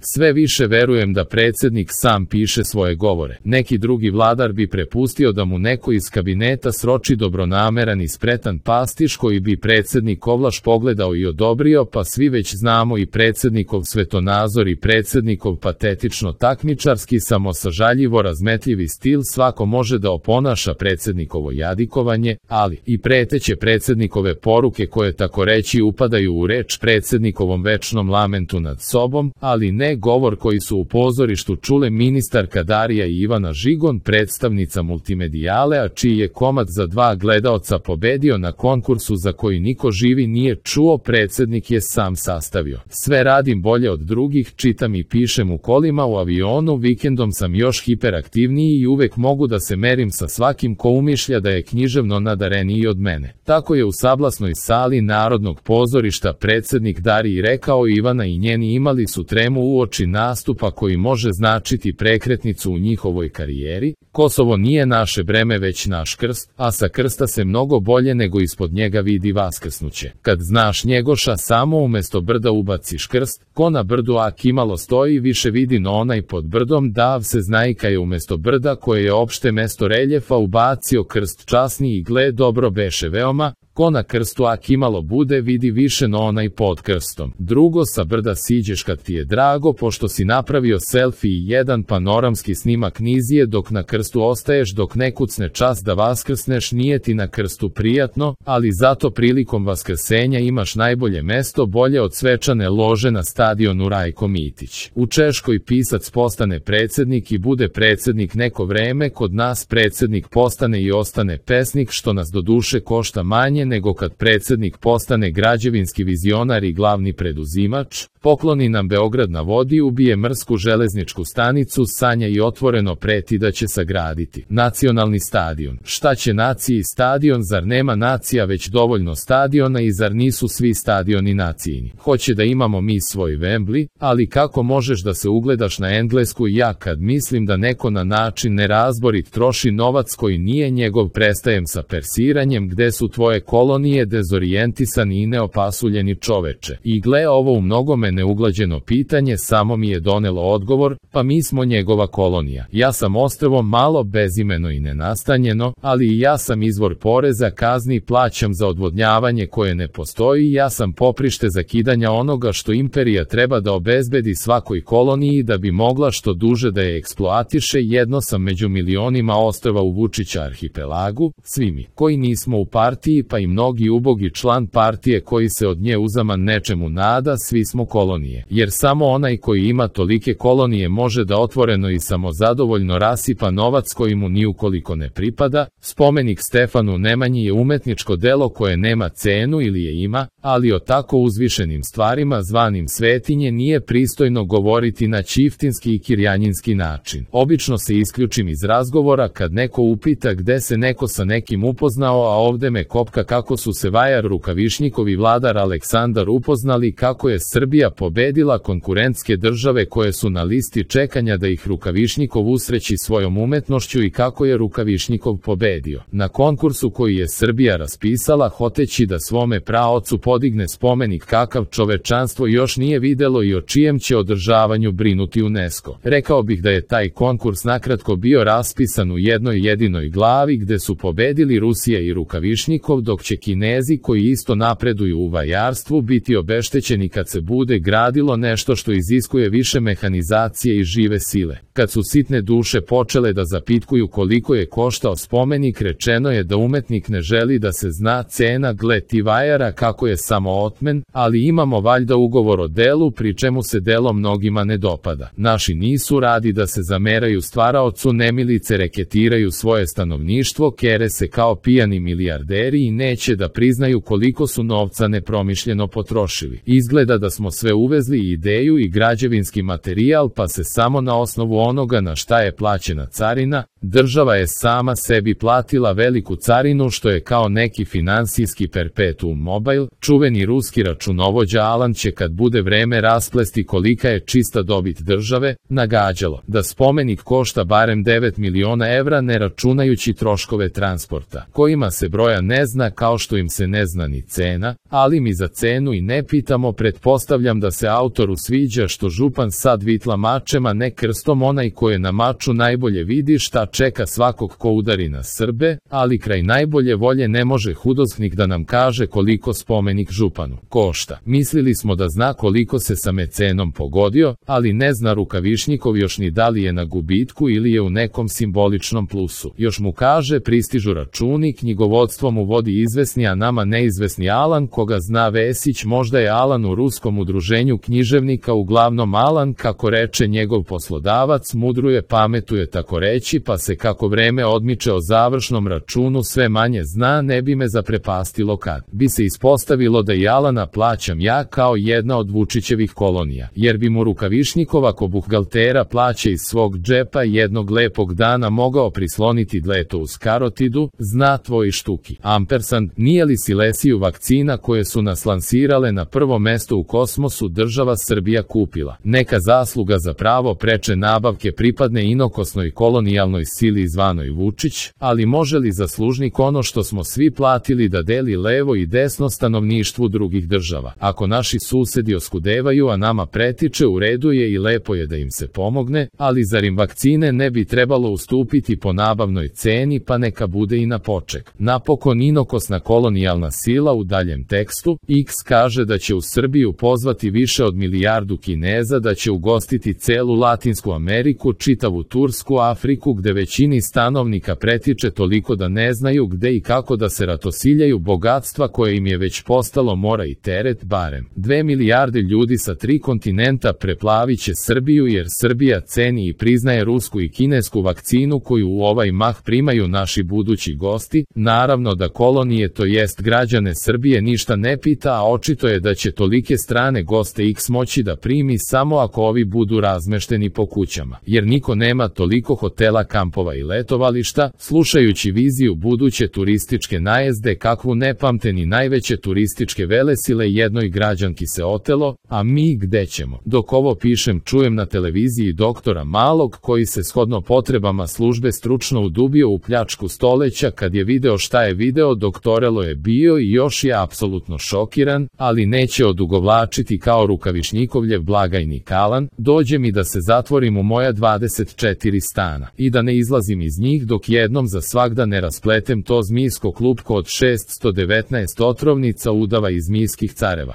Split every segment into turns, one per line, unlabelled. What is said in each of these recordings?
Sve više verujem da predsjednik sam piše svoje govore. Neki drugi vladar bi prepustio da mu neko iz kabineta sroči dobronameran i spretan pastiš koji bi predsjednik ovlaš pogledao i odobrio, pa svi već znamo i predsjednikov svetonazor i predsjednikov patetično takmičarski samosažaljivo razmetljivi stil. Svako može da oponaša predsjednikovo jadikovanje, ali i preteće predsjednikove poruke koje tako reći upadaju u reč predsjednikovom večnom lamentu nad sobom, ali ne govor koji su u pozorištu čule ministarka Darija i Ivana Žigon, predstavnica Multimedijale, a čiji je komad za 2 gledaoca pobedio na konkursu za koji niko živi nije čuo. Predsjednik je sam sastavio. Sve radim bolje od drugih, čitam i pišem u kolima, u avionu, vikendom sam još hiperaktivniji i uvek mogu da se merim sa svakim ko umišlja da je književno nadareniji od mene. Tako je u sablasnoj sali Narodnog pozorišta predsjednik Dariji rekao. Ivana i njeni imali su tremu uoči nastupa koji može značiti prekretnicu u njihovoj karijeri. Kosovo nije naše breme već naš krst, a sa krsta se mnogo bolje nego ispod njega vidi vaskrsnuće. Kad znaš Njegoša, samo umesto brda ubaciš krst, ko na brdu ak imalo stoji više vidi no onaj pod brdom. Dav se znajka je umesto brda koje je opšte mesto reljefa ubacio krst časni i gle dobro beše veoma, ko na krstu ak imalo bude vidi više no onaj pod krstom. Drugo, sa brda siđeš kad ti je drago, pošto si napravio selfie i jedan panoramski snimak nizije, dok na krstu ostaješ dok ne kucne čas da vaskrsneš. Nije ti na krstu prijatno, ali zato prilikom vaskrsenja imaš najbolje mesto, bolje od svečane lože na stadionu Rajko Mitić. U Češkoj pisac postane predsjednik i bude predsjednik neko vreme, kod nas predsjednik postane i ostane pesnik, što nas do duše košta manje nego kad predsjednik postane građevinski vizionar i glavni preduzimač. Pokloni nam Beograd na vodi, ubije mrsku železničku stanicu, sanja i otvoreno preti da će sagraditi nacionalni stadion. Šta će naciji stadion, zar nema nacija već dovoljno stadiona i zar nisu svi stadioni nacijini? Hoće da imamo mi svoj Wembley, ali kako možeš da se ugledaš na Englesku? Ja kad mislim da neko na način nerazborit troši novac koji nije njegov, prestajem sa persiranjem. Gde su tvoje kolonije, dezorijentisani i neopasuljeni čoveče? I gle, ovo u mnogome neuglađeno pitanje samo mi je donelo odgovor, pa mi smo njegova kolonija. Ja sam ostrvo malo bezimeno i nenastanjeno, ali i ja sam izvor poreza, kazni, plaćam za odvodnjavanje koje ne postoji. Ja sam poprište zakidanja onoga što imperija treba da obezbedi svakoj koloniji da bi mogla što duže da je eksploatiše. Jedno sam među milionima ostrva u Vučića arhipelagu, svi mi koji nismo u partiji, pa i mnogi ubogi član partije koji se od nje uzaman nečemu nada, svi smo kolonije, jer samo onaj koji ima tolike kolonije može da otvoreno i samozadovoljno rasipa novac koji mu ni ukoliko ne pripada. Spomenik Stefanu Nemanji je umetničko delo koje nema cenu ili je ima, ali o tako uzvišenim stvarima zvanim svetinje nije pristojno govoriti na ćiftinski i kirjanjinski način. Obično se isključim iz razgovora kad neko upita gde se neko sa nekim upoznao, a ovde me kopka kako su se Vajar Rukavišnjikov i vladar Aleksandar upoznali, kako je Srbija pobedila konkurentske države koje su na listi čekanja da ih Rukavišnjikov usreći svojom umetnošću i kako je Rukavišnjikov pobedio na konkursu koji je Srbija raspisala, hoteći da svome praocu podigne spomenik kakav čovečanstvo još nije videlo i o čijem će održavanju brinuti UNESCO. Rekao bih da je taj konkurs nakratko bio raspisan u jednoj jedinoj glavi gde su pobedili Rusija i Rukavišnjikov, dok će Kinezi koji isto napreduju u vajarstvu biti obeštećeni kad se bude gradilo nešto što iziskuje više mehanizacije i žive sile. Kad su sitne duše počele da zapitkuju koliko je koštao spomenik, rečeno je da umetnik ne želi da se zna cena. Gle ti vajara kako je samo otmen, ali imamo valjda ugovor o delu, pri čemu se delo mnogima ne dopada. Naši nisu radi da se zameraju stvaraocu, nemilice reketiraju svoje stanovništvo, kere se kao pijani milijarderi i neće da priznaju koliko su novca nepromišljeno potrošili. Izgleda da smo sve uvezli, ideju i građevinski materijal, pa se samo na osnovu onoga na šta je plaćena carina, Država je sama sebi platila veliku carinu što je kao neki finansijski perpetuum mobile. Čuveni ruski računovođa Alan će kad bude vreme rasplesti kolika je čista dobit države, nagađalo da spomenik košta barem 9 miliona evra ne računajući troškove transporta, kojima se broja ne zna kao što im se ne zna ni cena, ali mi za cenu i ne pitamo. Pretpostavljam da se autoru sviđa što župan sad vitla mačem a ne krstom, onaj ko je na maču najbolje vidi šta čeka svakog ko udari na Srbe, ali kraj najbolje volje ne može hudozknik da nam kaže koliko spomenik županu košta. Mislili smo da zna koliko se sa mecenom pogodio, ali ne zna Rukavišnjikov još ni da li je na gubitku ili je u nekom simboličnom plusu. Još mu kaže pristižu računi, knjigovodstvo mu vodi izvesni a nama neizvesni Alan koga zna Vesić, možda je Alan u ruskom udruženju književnika uglavnom Alan kako reče njegov poslodavac, mudruje, pametuje tako reći, pa se kako vreme odmiče o završnom računu sve manje zna. Ne bi me zaprepastilo kad bi se ispostavilo da i Alana plaćam ja kao jedna od Vučićevih kolonija, jer bi mu Rukavišnjikov ako buhgaltera plaće iz svog džepa jednog lepog dana mogao prisloniti dleto uz karotidu, zna tvoji štuki. Ampersand, nije li Silesiju vakcina koje su nas lansirale na prvo mesto u kosmosu država Srbija kupila? Neka zasluga za pravo preče nabavke pripadne inokosnoj kolonijalnoj sili zvanoj Vučić, ali može li zaslužnik ono što smo svi platili da deli levo i desno stanovništvu drugih država? Ako naši susedi oskudevaju a nama pretiče, u redu je i lepo je da im se pomogne, ali zar im vakcine ne bi trebalo ustupiti po nabavnoj ceni, pa neka bude i na poček. Napokon inokosna kolonijalna sila u daljem tekstu, X kaže da će u Srbiju pozvati više od milijardu Kineza, da će ugostiti celu Latinsku Ameriku, čitavu Tursku, Afriku gde većini stanovnika pretiče toliko da ne znaju gde i kako da se ratosiljaju bogatstva koje im je već postalo mora i teret. Barem 2 milijarde ljudi sa 3 kontinenta preplavit će Srbiju jer Srbija ceni i priznaje rusku i kinesku vakcinu koju u ovaj mah primaju naši budući gosti. Naravno da kolonije to jest građane Srbije ništa ne pita, a očito je da će tolike strane goste X moći da primi samo ako ovi budu razmešteni po kućama, jer niko nema toliko hotela, kampova i letovališta. Slušajući viziju buduće turističke najezde kakvu ne pamte ni najveće turističke velesile, jednoj građanki se otelo, a mi gde ćemo? Dok ovo pišem čujem na televiziji doktora Malog koji se shodno potrebama službe stručno udubio u pljačku stoleća. Kad je video šta je video, doktorelo je bio i još je apsolutno šokiran, ali neće odugovlačiti kao Rukavišnjikovljev blagajnik Alan. Dođe mi da se zatvorim u moja 24 stana i da ne izlazim iz njih dok jednom za svagda ne raspletem to zmijsko klupko od 619 otrovnica udava iz zmijskih careva.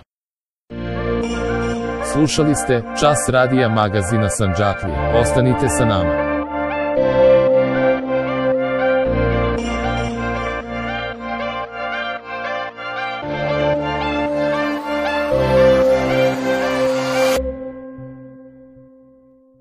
Slušali ste Čas radija magazina Sandžaklija. Ostanite sa nama.